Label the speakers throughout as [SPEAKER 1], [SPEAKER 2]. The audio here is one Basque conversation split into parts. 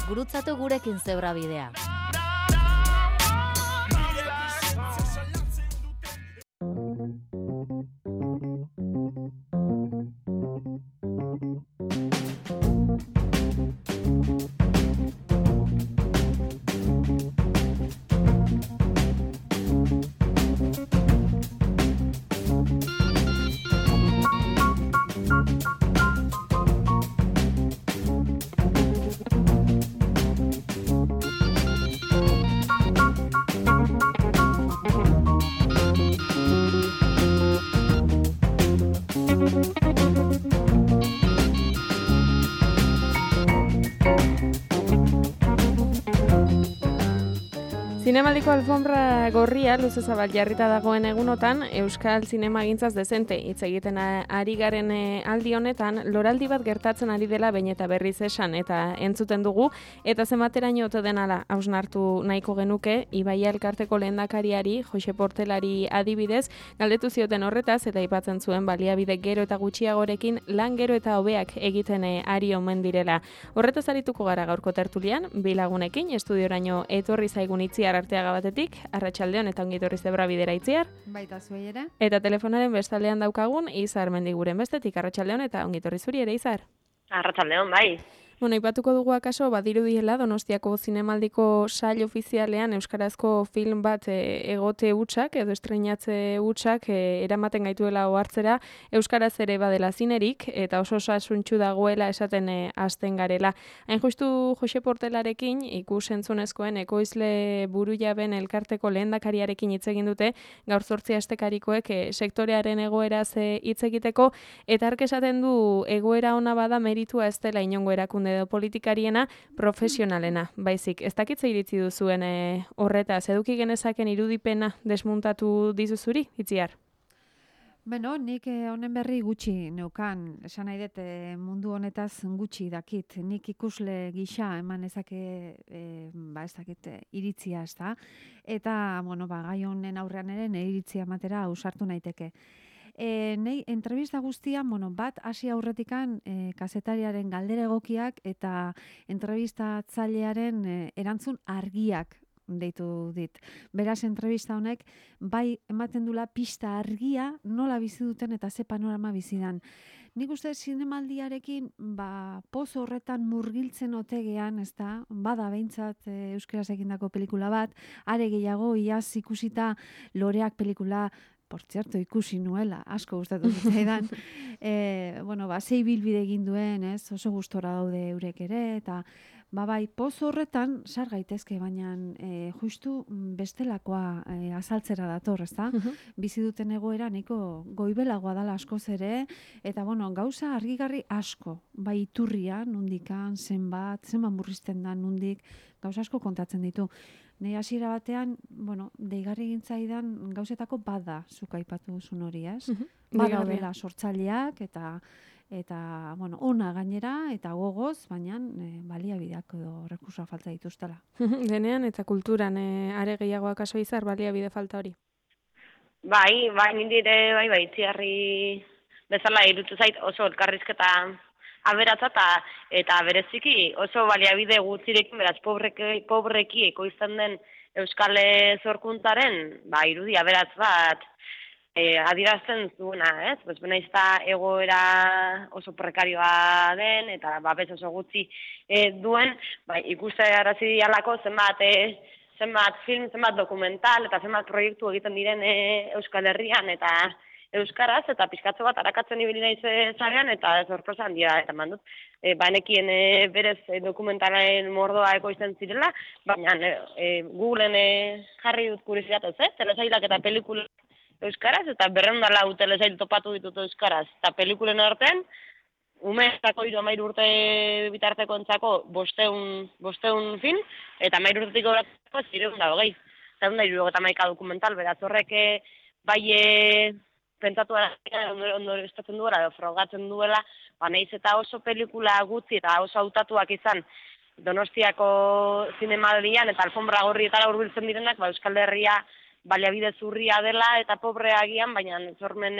[SPEAKER 1] Gurutzatu gurekin Zebrabidea.
[SPEAKER 2] Zinemaldiko alfombra gorria luze zabal jarrita dagoen egunotan, Euskal Zinemagintzaz dezente hitz egiten ari garen aldi honetan, loraldi bat gertatzen ari dela behin eta berriz esan eta entzuten dugu, eta zenbateraino ote denala hausnartu nahiko genuke, Ibaia elkarteko lehendakariari, Jose Portelari adibidez, galdetu zioten horretaz eta aipatzen zuen baliabide gero eta gutxiagorekin lan gero eta hobeak egiten ari omen direla. Horretaz arituko gara gaurko tertulian, bi lagunekin, estudioraino etorri zaigun Itziar Arteaga batetik, arratsaldeon eta ongi etorri Zebrabidera Itziar.
[SPEAKER 3] Baita zuei ere.
[SPEAKER 2] Eta telefonaren bestaldean daukagun Izar Mendiguren bestetik, arratsaldeon eta ongi etorri zuri ere Izar.
[SPEAKER 4] Arratsaldeon, bai.
[SPEAKER 2] Bueno, aipatuko dugu akaso badirudiela Donostiako Zinemaldiko sail ofizialean euskarazko film bat egote hutsak edo estreinatze hutsak eramaten gaituela ohartzera euskaraz ere badela zinerik eta oso osasuntsu dagoela esaten hasten garela. Hain justu Jose Portelarekin ikus-entzunezkoen ekoizle burujaben elkarteko lehendakariarekin hitz egin dute gaur 8 astekarikoek sektorearen egoeraz hitz egiteko eta hark esaten du egoera ona bada meritua ez dela inongo erakunde edo politikariena profesionalena, baizik. Ez dakitze iritzi duzuen horretaz, eduki genezaken irudipena desmuntatu dizuzuri, Itziar?
[SPEAKER 3] Beno, nik honen berri gutxi neukan, esan nahi dut mundu honetaz gutxi dakit. Nik ikusle gisa eman ezake, ez dakit, iritzia, ez da? Eta, gai honen aurrean ere nire iritzia ematera ausartu naiteke. Nei entrevista guztian, bat hasi aurretikan kazetariaren galdera egokiak eta entrevistatzailearen erantzun argiak deitu dit. Beraz, entrevista honek bai ematen dula pista argia nola bizi duten eta ze panorama bizidan. Nik uste zinemaldiarekin poz horretan murgiltzen otegean, ezta? Bada behintzat euskaraz egindako pelikula bat, are gehiago iaz ikusita Loreak pelikula por cierto, ikusi nuela, asko gustatu zitzaidan. Zei bilbide egin duen, ez? Oso gustora daude eurek ere, eta bai, poz horretan sar gaitezke, baina justu bestelakoa azaltzera dator, ezta? Bizi duten egoera nahiko goibelagoa dala askoz ere, eta gauza argigarri asko, bai iturria, nundikan, zenbat murrizten da nundik, gauza asko kontatzen ditu. Nei hasiera batean, deigarri gintzaidan gauzetako bada zuk aipatu duzun hori, ez? Bada dela sortzaileak eta ona gainera eta gogoz, baina baliabideak edo rekursoa falta dituztela.
[SPEAKER 2] Denean eta kulturan are gehiagoak aso Izar baliabide falta hori.
[SPEAKER 4] Bai, nindire, Itziarri bezala irutu zait oso elkarrizketa aberatza eta bereziki oso baliabide gutzirekin, beraz, pobreki ekoizten den Euskal Zorkuntzaren, irudi aberatz bat adierazten zuena, ez? Benaizta egoera oso prekarioa den eta babes oso gutxi duen, ikuste arazi dialako zenbat film, zenbat dokumental eta zenbat proiektu egiten diren Euskal Herrian eta euskaraz, eta pizkatzo bat arakatzen ibili naiz zarean, eta sorpresa handia eta mandut. Banekien berez dokumentalen mordoa ekoizten zirela, baina Googleen jarri dut kuriosidadez, telesailak eta pelikula euskaraz, eta 204 telesail topatu ditut euskaraz. Eta pelikulen artean, umeetako 13 urte bitarteko entzako 500 film, eta 13 urtetik goratako 320. 371 dokumental, beraz horrek pentsatu ondo estatzen duela, frogatzen duela, nahiz eta oso pelikula gutxi eta oso hautatuak izan Donostiako zinemaldian eta alfombra gorrietara hurbiltzen direnak, Euskal Herria baliabide zurria dela eta pobrea agian, baina sormen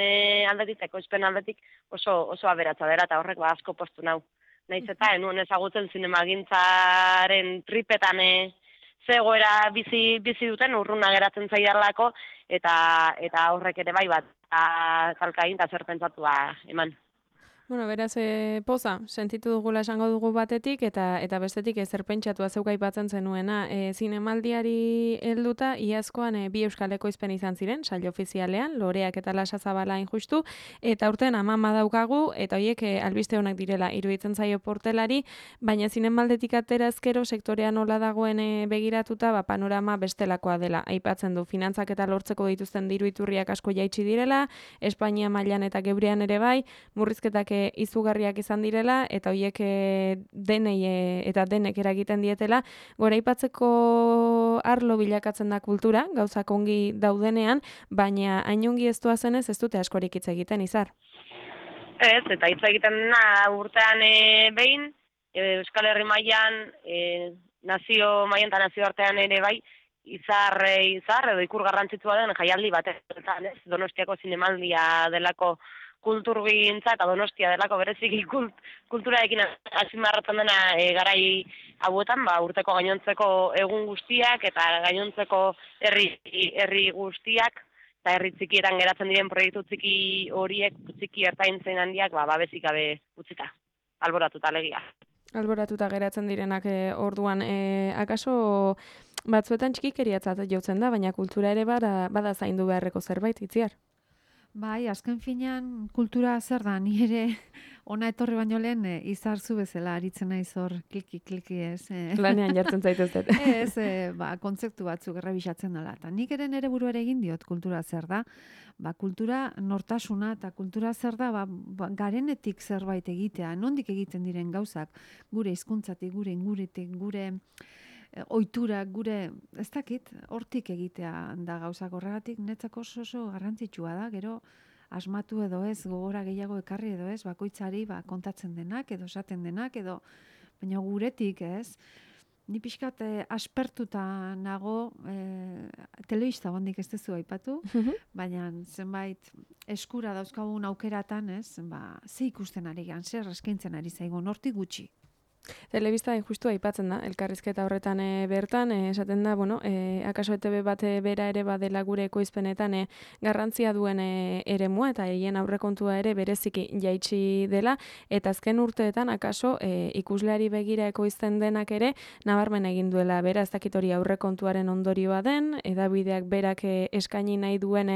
[SPEAKER 4] aldetik, ekoizpen aldetik oso aberatsa dela, eta horrek asko postu nau. Naiz eta enuen ezagutzen zinemagintzaren tripetan zegoera bizi duten urruna geratzen zaidarlako, eta horrek ere bai bat, talka egin eta zer pentsatua eman.
[SPEAKER 2] Bueno, beraz, poza, sentitu dugula esango dugu batetik, eta bestetik ezer pentsatua zeuk aipatzen zenuena. Zinemaldiari helduta, iazkoan bi euskal ekoizpen izan ziren, sail ofizialean, Loreak eta Lasa Zabala justu, eta urten amama daukagu, eta horiek albiste honak direla iruditzen zaio portelari, baina zinemaldetik atera ezkero sektorea nola dagoen begiratuta, panorama bestelakoa dela. Aipatzen du, finantzak eta lortzeko dituzten diru iturriak asko jaitsi direla, Espainia mailan eta gebrean ere bai, murrizketak izugarriak izan direla, eta horiek denei eta denek eragiten dietela, goraipatzeko arlo bilakatzen da kultura, gauzak ongi daudenean, baina hain ongi ez zenez ez dute askorik hitz egiten, Izar.
[SPEAKER 4] Ez, eta hitz egiten dena urtean behin, Euskal Herri mailan, nazio mailan eta nazioartean ere bai, izar edo ikur garrantzitsua den jaialdi batetan, ez? Donostiako zinemaldia delako kulturgintza eta Donostia delako bereziki kulturarekin azpimarratzen dena garai hauetan, urteko gainontzeko egun guztiak eta gainontzeko herri guztiak eta herri txikietan geratzen diren proiektu txiki horiek, txiki ertain zein handiak, babesik gabe utzita, alboratuta alegia.
[SPEAKER 2] Alboratuta geratzen direnak orduan, akaso batzuetan txikikeriatzat jotzen da, baina kultura ere bada zaindu beharreko zerbait, Itziar?
[SPEAKER 3] Bai, azken finean kultura zer da, ni ere ona etorri baino lehen izarzu bezala aritzen naiz hor kliki ez.
[SPEAKER 2] Lanean jartzen zaituztet.
[SPEAKER 3] Ez, kontzeptu batzuk errebisatzen dela. Ta nik ere nere buruare egin diot kultura zer da. Kultura nortasuna eta kultura zer da, garenetik zerbait egitea, nondik egiten diren gauzak, gure hizkuntzatik, gure inguretik, gure ohitura, gure, ez dakit, hortik egitea da gauzak horregatik, netzako oso garrantzitsua da, gero asmatu edo ez, gogora gehiago ekarri edo ez, bakoitzari kontatzen denak, edo esaten denak, edo, baina guretik ez, ni pixkat aspertuta nago, telebista bandik ez dezu aipatu, baina zenbait eskura dauzkagun aukeratan ez, ze ikusten ari gan, zer eskaintzen ari zaigun, hortik gutxi.
[SPEAKER 2] Telebista justu aipatzen da, elkarrizketa horretan bertan, esaten da, akaso ETB bat bera ere badela gure ekoizpenetan garrantzia duen eremua eta hien aurrekontua ere bereziki jaitsi dela, eta azken urteetan akaso ikusleari begira ekoizten denak ere nabarmen egin duela, bera ez dakit hori aurrekontuaren ondorioa den, edabideak berak eskaini nahi duen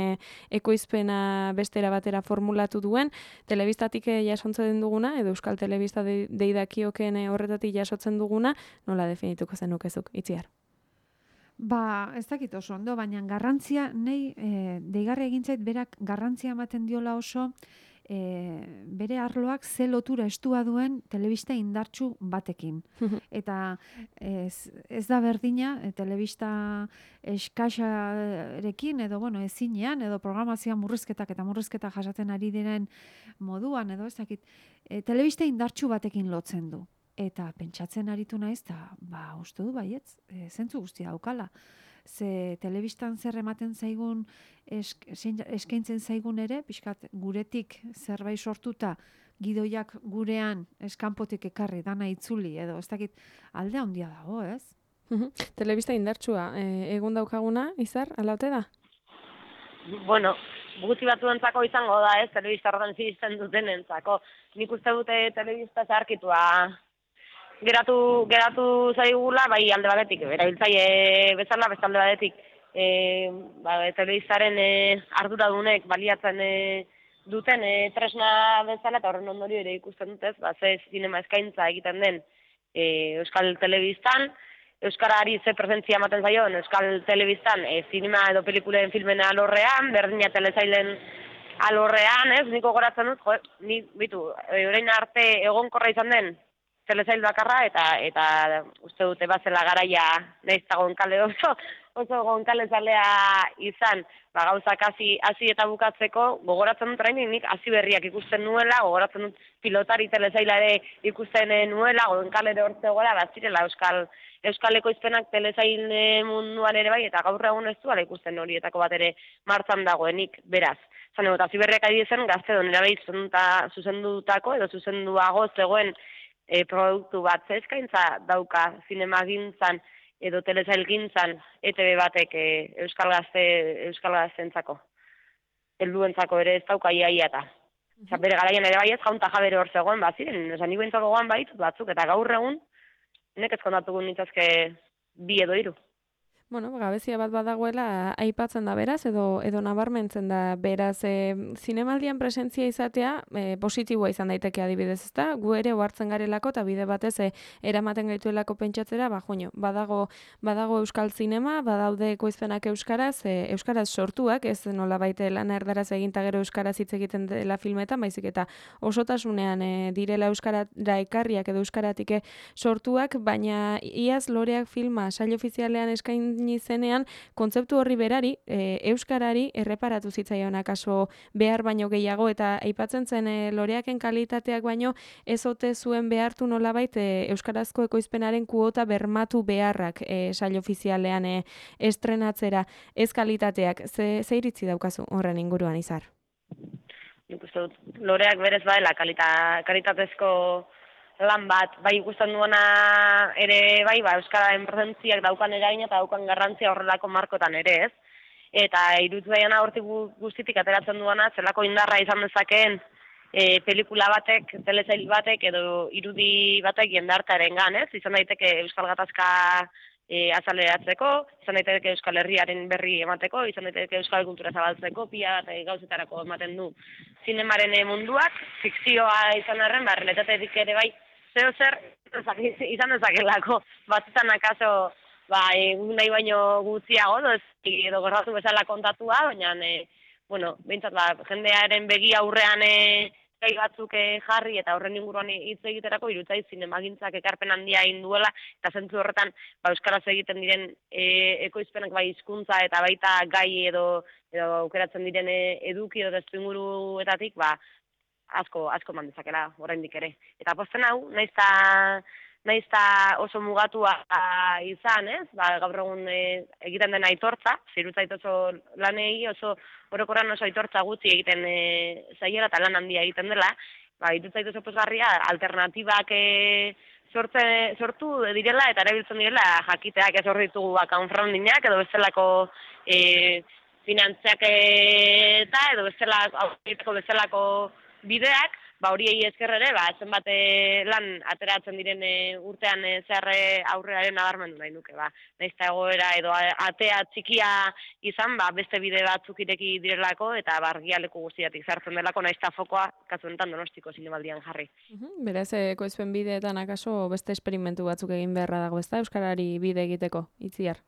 [SPEAKER 2] ekoizpena bestera batera formulatu duen, telebistatik jasontzen duguna, edo Euskal Telebista deidakioken horretatik jasotzen duguna, nola definituko zenukezuk, Itziar?
[SPEAKER 3] Ez dakit oso ondo, baina garrantzia, deigarri egintzait berak garrantzia ematen diola oso, bere arloak ze lotura estua duen telebista indartsu batekin. Eta ez da berdina, telebista eskaxarekin, edo ezinean, edo programazioan murrizketak jasaten ari diren moduan, edo ez dakit, telebista indartsu batekin lotzen du. Eta pentsatzen aritu naiz, eta uste du baietz, zentzu guztia daukala. Ze telebistan zer ematen zaigun, eskaintzen zaigun ere, pixkat guretik zerbait sortuta, gidoiak gurean eskanpotik ekarri, dana itzuli, edo ez dakit alde handia dago, ez?
[SPEAKER 2] Telebista indartsua, egun daukaguna, Izar, alaute da?
[SPEAKER 4] Gutxi batzuentzako izango da, ez, telebista horretan zizten dutenentzako. Nik uste dute telebista zaharkitua geratu zaigula, bai alde batetik, erabiltzaile bezala, beste alde batetik, telebistaren arduradunek baliatzen duten tresna bezala, eta horren ondorio ere ikusten dutez, ze zinema eskaintza egiten den Euskal Telebistan, Euskarari ze presentzia ematen zaion Euskal Telebistan, zinema edo pelikulen filmen alorrean, berdina telesailen alorrean, ez, niko goratzen dut, orain arte egonkorra izan den telesail bakarra, eta uste dute bazela garaia nahiz dagoen kale oso, oso gonkalezalea izan, gauzak hasi eta bukatzeko, gogoratzen dut orain nik hasi berriak ikusten nuela, gogoratzen dut pilotari telesaila ere ikusten nuela, gonkalere hor zegoela, bazirela Euskal Ekoizpenak telesail munduan ere bai, eta gaur egun ez duela ikusten horietako bat ere martxan dagoenik, beraz. Zan egot, hasi berriak ari zen, Gaztedon erabai zuzendutako edo zuzenduago zegoen produktu bat eskaintza dauka zinemagintzan edo telesailgintzan ETB batek Euskal Gazteentzako. Helduentzako ere ez dauka iaia eta. Bere garaian ere bai ez jaunta jabere hor zegoen, ziren, ni behintzat gogoan baitut batzuk, eta gaur egun, nek ezkondatuko nintzazke 2 edo 3.
[SPEAKER 2] Bueno, gabezia bat badagoela aipatzen da beraz, edo nabarmentzen da beraz, zinemaldian presentzia izatea positiboa izan daiteke adibidez, ezta? Gu ere ohartzen garelako eta bide batez eramaten gaituelako pentsatzera, badago euskal zinema, badaude ekoizpenak euskaraz sortuak, ez nolabait lana erdaraz egin ta gero euskaraz hitz egiten dela filmetan, baizik eta osotasunean direla euskara ekarriak edo euskaratik sortuak, baina iaz Loreak filma sail ofizialean eskain izenean, kontzeptu horri berari, euskarari erreparatu zitzaion akaso behar baino gehiago, eta aipatzen zen Loreaken kalitateak baino ez ote zuen behartu nolabait euskarazko ekoizpenaren kuota bermatu beharrak sail ofizialean estrenatzera, ez kalitateak. Ze iritzi daukazu horren inguruan, Izar?
[SPEAKER 4] Nik uste dut, Loreak berez baela kalitatezko lan bat, bai ikusten duena ere bai, euskararen presentziak daukan eragina eta daukan garrantzia horrelako markotan ere, ez? Eta iruditzen hortik guztitik ateratzen duena, zelako indarra izan dezakeen pelikula batek, telesail batek edo irudi batek jendartearengan, ez? Izan daiteke euskal gatazka azaleratzeko, izan daiteke Euskal Herriaren berri emateko, izan daiteke euskal kultura zabaltzeko, pila bat gauzetarako ematen du zinemaren munduak, fikzioa izan arren, realitatetik ere bai, zer izan dezakelako, batzutan akaso nahi baino gutxiago, edo gertatu bezala kontatua, baina, behintzat, jendearen begi aurrean gai batzuk jarri eta horren inguruan hitz egiterako irutzai zinemagintzak ekarpen handia egin duela, eta zentzu horretan euskaraz egiten diren ekoizpenak bai hizkuntza eta baita gai edo aukeratzen diren eduki edo testuinguruetatik asko eman dezakela oraindik ere. Eta pozten hau, naiz ta oso mugatua izan, ez? Gaur egun egiten den aitortza, zirutzait oso lanei, oso orokorran oso aitortza gutxi egiten zaiela eta lan handia egiten dela, irutzait oso pozgarria alternatibak sortu direla eta erabiltzen direla jakiteak ez hor ditugu crowdfundingak edo bestelako finantziak eta edo bestelako bideak, horiei esker ere, zenbat lan ateratzen diren urtean zehar aurrearen nabarmendu nahi nuke, nahiz eta egoera edo atea txikia izan, beste bide batzuk ireki direlako eta argialeku guztiatik zartzen delako, nahiz eta fokoa kasu honetan Donostiko zinemaldian jarri.
[SPEAKER 2] Beraz, ekoizpen bideetan akaso beste esperimentu batzuk egin beharra dago, ezta Euskarari bide egiteko, Itziar?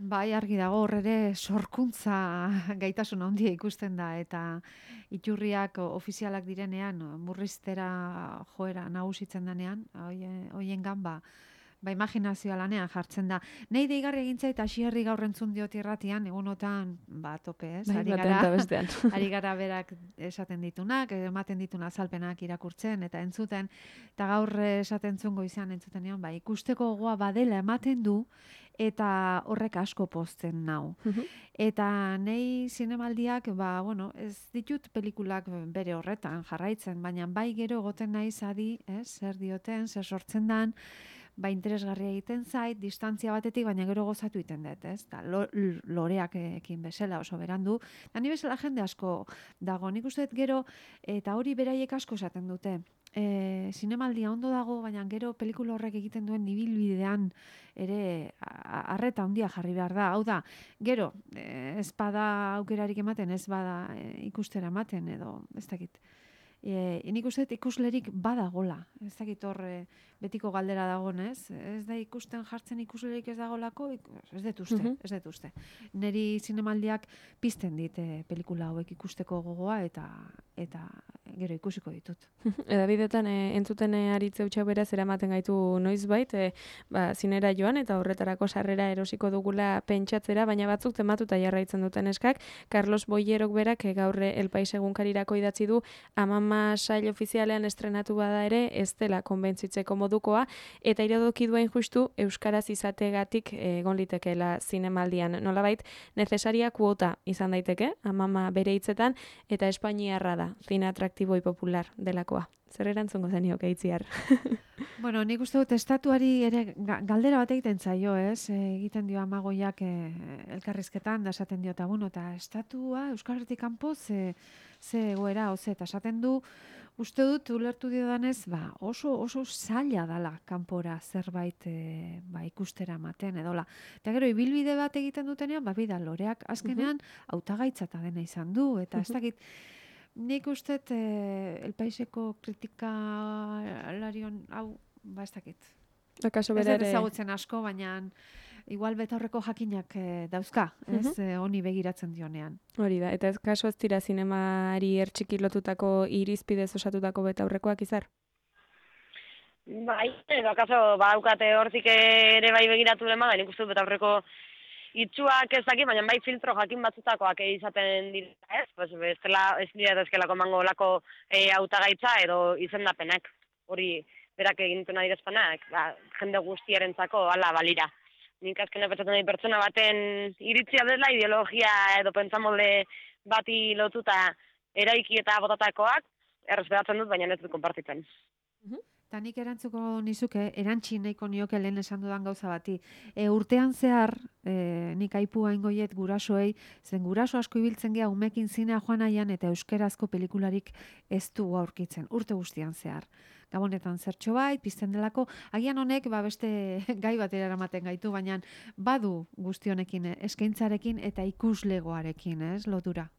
[SPEAKER 3] Bai, argi dago, horre sorkuntza gaitasun handia ikusten da, eta iturriak ofizialak direnean, murriztera joera nagusitzen denean, hoiengan imaginazioa lanean jartzen da. Nei deigarri egintza eta Xierri gaur entzun diot irratian, egunotan, tope, ez? Ari gara berak esaten ditunak, ematen dituna azalpenak irakurtzen eta entzuten, eta gaur esaten zungo izan entzutenean, ikusteko gogoa badela ematen du, eta horrek asko pozten nau. Eta nei zinemaldiak, ez ditut pelikulak bere horretan jarraitzen, baina bai gero egoten naiz adi, zer dioten, zer sortzen dan, interesgarria egiten zait, distantzia batetik, baina gero gozatu egiten dut, ez? Loreak ekin bezala oso berandu, eta ni bezala jende asko dago, nik uste dut gero, eta hori beraiek asko esaten dute. Zinemaldia ondo dago, baina gero pelikula horrek egiten duen ibilbidean ere arreta handia jarri behar da. Hau da, gero, ez bada aukerarik ematen, ez bada ikustera ematen, edo ez dakit. Nik uste dut ikuslerik badagola. Ez dakit hor betiko galdera dagoen, ez? Ez da ikusten jartzen ikuslerik ez dagolako, ez dut uste. Neri zinemaldiak pizten dit pelikula hauek ikusteko gogoa eta gero ikusiko ditut.
[SPEAKER 2] Edabidetan entzuten aritze utxak beraz eramaten gaitu noizbait, zinera joan eta horretarako sarrera erosiko dugula pentsatzera, baina batzuk tematuta jarraitzen duten eskak. Carlos Boyerok berak gaur El Pais egunkarirako idatzi du Amama sail ofizialean estrenatu bada ere ez dela konbentzitzeko modukoa, eta iradoki duen justu euskaraz izategatik egon litekeela zinemaldian. Nolabait, necesaria kuota izan daiteke, Amama bere hitzetan, eta espainiarra da, zine atraktiboi popular delakoa. Zer erantzungo zenioke Itziar?
[SPEAKER 3] Bueno, nik uste dut estatuari ere galdera bat egiten zaio, ez? Egiten dio Amagoiak elkarrizketan, da esaten dio, eta estatua Euskal Herritik kanpo ze egoera, eta esaten du, uste dut, ulertu diodanez, oso zaila dala kanpora zerbait ikustera ematen, edola. Eta gero, ibilbide bat egiten dutenean, bida, loreak azkenean hautagaitzata dena izan du, eta ez dakit, nik uste El Paiseko kritikalarion hau, ez dakit.
[SPEAKER 2] Akaso
[SPEAKER 3] Ez
[SPEAKER 2] bere
[SPEAKER 3] dut ezagutzen asko, baina igual betaurreko jakinak dauzka, ez honi begiratzen dionean.
[SPEAKER 2] Hori da, eta kaso ez dira zinemari ertxiki lotutako irizpidez osatutako betaurrekoak izar?
[SPEAKER 4] Bai, akaso badaukate hortik ere bai begiratu lema, da nik uste dut betaurreko itxuak ez dakit, baina bai filtro jakin batzutakoak izaten dira, ez? Pues ez dira ezkelako mango lako hautagaitza edo izendapenak. Hori berak egintuen adierazpenak, jende guztiarentzako hala balira. Nik azkenean pentsatzen dut pertsona baten iritzia dela ideologia edo pentsamolde bati lotuta eraiki eta botatakoak errespetatzen dut, baina ez dut konpartitzen.
[SPEAKER 3] Eta nik erantzuko nizuke, erantzi nahiko nioke lehen esan dudan gauza bati. Urtean zehar, nik aipu aingoiet gurasoei, zen guraso asko ibiltzen gea umekin zinea joan aian eta euskerazko pelikularik ez du aurkitzen, urte guztian zehar. Gabonetan zertxo bait, pizten delako, agian honek beste gai batera eramaten gaitu, baina badu guztionekin, eskaintzarekin eta ikuslegoarekin, ez, lotura.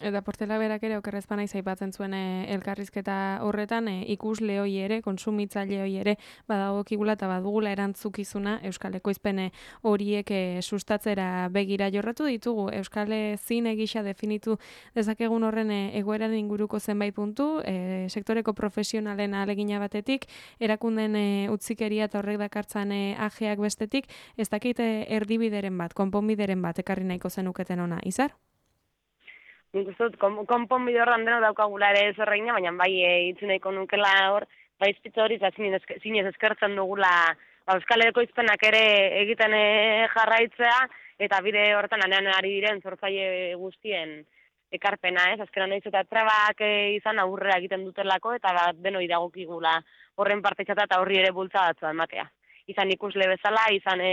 [SPEAKER 2] Eta Portela berak ere okerrezpa naiz aipatzen zuen elkarrizketa horretan ikusle hoi ere, kontsumitzaile hoi ere badagokigula eta badugula erantzukizuna Euskal Ekoizpen horiek sustatzera begira jorratu ditugu. Euskal zine gisa definitu dezakegun horren egoeraren inguruko zenbait puntu, sektoreko profesionalen ahalegina batetik, erakunden utzikeria eta horrek dakartzan ajeak bestetik, ez dakit erdibideren bat, konponbideren bat ekarri nahiko zenuketen ona, Izar?
[SPEAKER 4] Nik uste dut, konponbide horran dena daukagula ere zerreina, baina bai itzu nahiko nukela hor, bai izpitza hori, zinez eskertzen dugula Euskal Ekoizpenak ere egiten jarraitzea, eta bide horretan anean ari diren sortzaile guztien ekarpena, ez? Azkenan nahiz eta trabak izan aurrera egiten dutelako, eta denoi dagokigula horren partetzata eta horri ere bultzadatzua ematea. Izan ikusle bezala, izan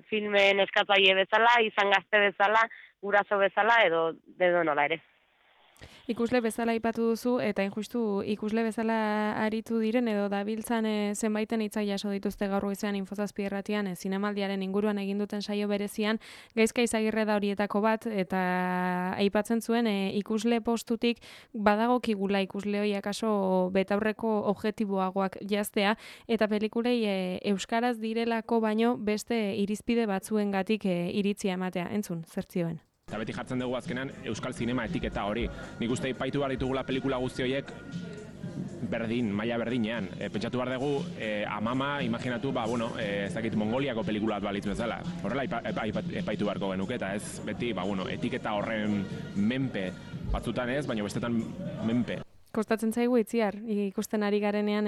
[SPEAKER 4] filmen eskatzaile bezala, izan gazte bezala, guraso bezala, edo nola ere.
[SPEAKER 2] Ikusle bezala aipatu duzu, eta injustu ikusle bezala aritu diren edo dabiltzan zenbaiten hitzak jaso dituzte gaur goizean Infozazpi irratian zinemaldiaren inguruan egin duten saio berezian, Gaizka Izagirre da horietako bat, eta aipatzen zuen ikusle postutik badagokigula ikusle hori akaso betaurreko objektiboagoak jaztea, eta pelikulei euskaraz direlako baino beste irizpide batzuengatik iritzia ematea. Entzun, zertzioen.
[SPEAKER 5] Eta beti jartzen dugu azkenan euskal zinema etiketa hori. Nik uste ipaitu behar ditugula pelikula guzti horiek berdin, maila berdinean. Pentsatu behar dugu, Amama, imaginatu, ez dakit Mongoliako pelikula bat balitz bezala. Horrela epaitu beharko genuke, eta ez beti, etiketa horren menpe, batzutan ez, baina bestetan menpe.
[SPEAKER 2] Kostatzen zaigu Itziar, ikusten ari garenean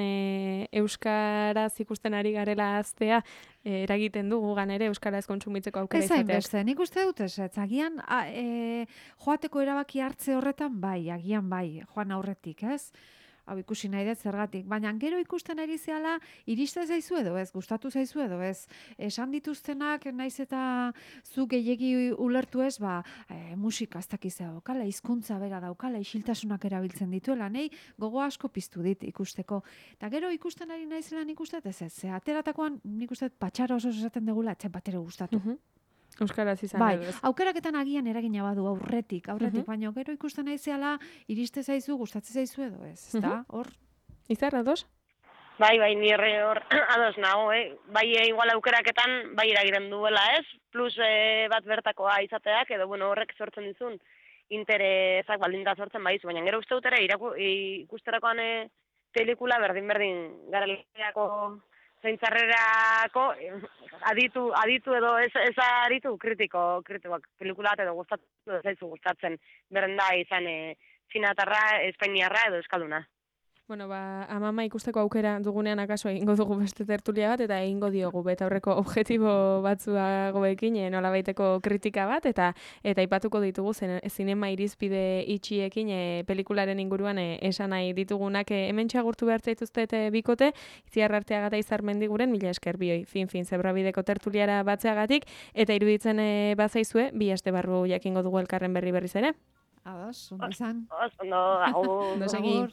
[SPEAKER 2] euskaraz ikusten ari garela aztea, eragiten du gugan ere euskaraz kontsumitzeko aukera izateak.
[SPEAKER 3] Ez hainbeste, nik uste dut ez, agian joateko erabaki hartze horretan bai, agian bai, joan aurretik, ez? Hau ikusi nahi dut zergatik, baina gero ikusten ari zehala, iriste zaizu edo ez, gustatu zaizu edo ez, esan dituztenak naiz eta zu gehiegi ulertu ez, musika ez dakizea daukala, hizkuntza bera daukala, isiltasunak erabiltzen dituela, nahi gogo asko piztu dit ikusteko. Eta gero ikusten ari naizela nik uste ez, ateratakoan nik uste patxara oso esaten degula, etxe bat ere gustatu.
[SPEAKER 2] Euskaraz izan
[SPEAKER 3] Bai,
[SPEAKER 2] edo ez.
[SPEAKER 3] aukeraketan agian eragina badu aurretik, baina gero ikusten naizeala iriste zaizu, gustatzen zaizu edo ez, ezta? Hor,
[SPEAKER 2] Izar, ados?
[SPEAKER 4] Bai, nire hor ados nago, Bai, igual aukeraketan, bai eragiren duela, ez? Plus bat bertakoa izateak, edo, bueno, horrek sortzen dizun interesak baldinta sortzen baizu, baina gero uste dut ere ikusterakoan pelikula berdin garaleako zeintzarrerako aditu edo ez aditu kritikoak pelikula bat edo gustatzen berenda izan txinatarra, espainiarra edo euskalduna.
[SPEAKER 2] Bueno, Amama ikusteko aukera dugunean akaso egingo dugu beste tertulia bat, eta egingo diogu betaurreko objektibo batzuagoekin, nolabaiteko kritika bat, eta aipatuko ditugu zinema irizpide itxiekin pelikularen inguruan esan nahi ditugunak hemen txagurtu behar zaituztet bikote, Itziar Arteaga eta Izar Mendiguren, mila esker bioi, fin, zebrabideko tertuliara batzeagatik, eta iruditzen bazaizue, 2 aste barru jakingo dugu elkarren berriz ere.
[SPEAKER 3] ados, ondo izan.
[SPEAKER 4] Ondo, agur.
[SPEAKER 2] Ondo segi.
[SPEAKER 3] Agur.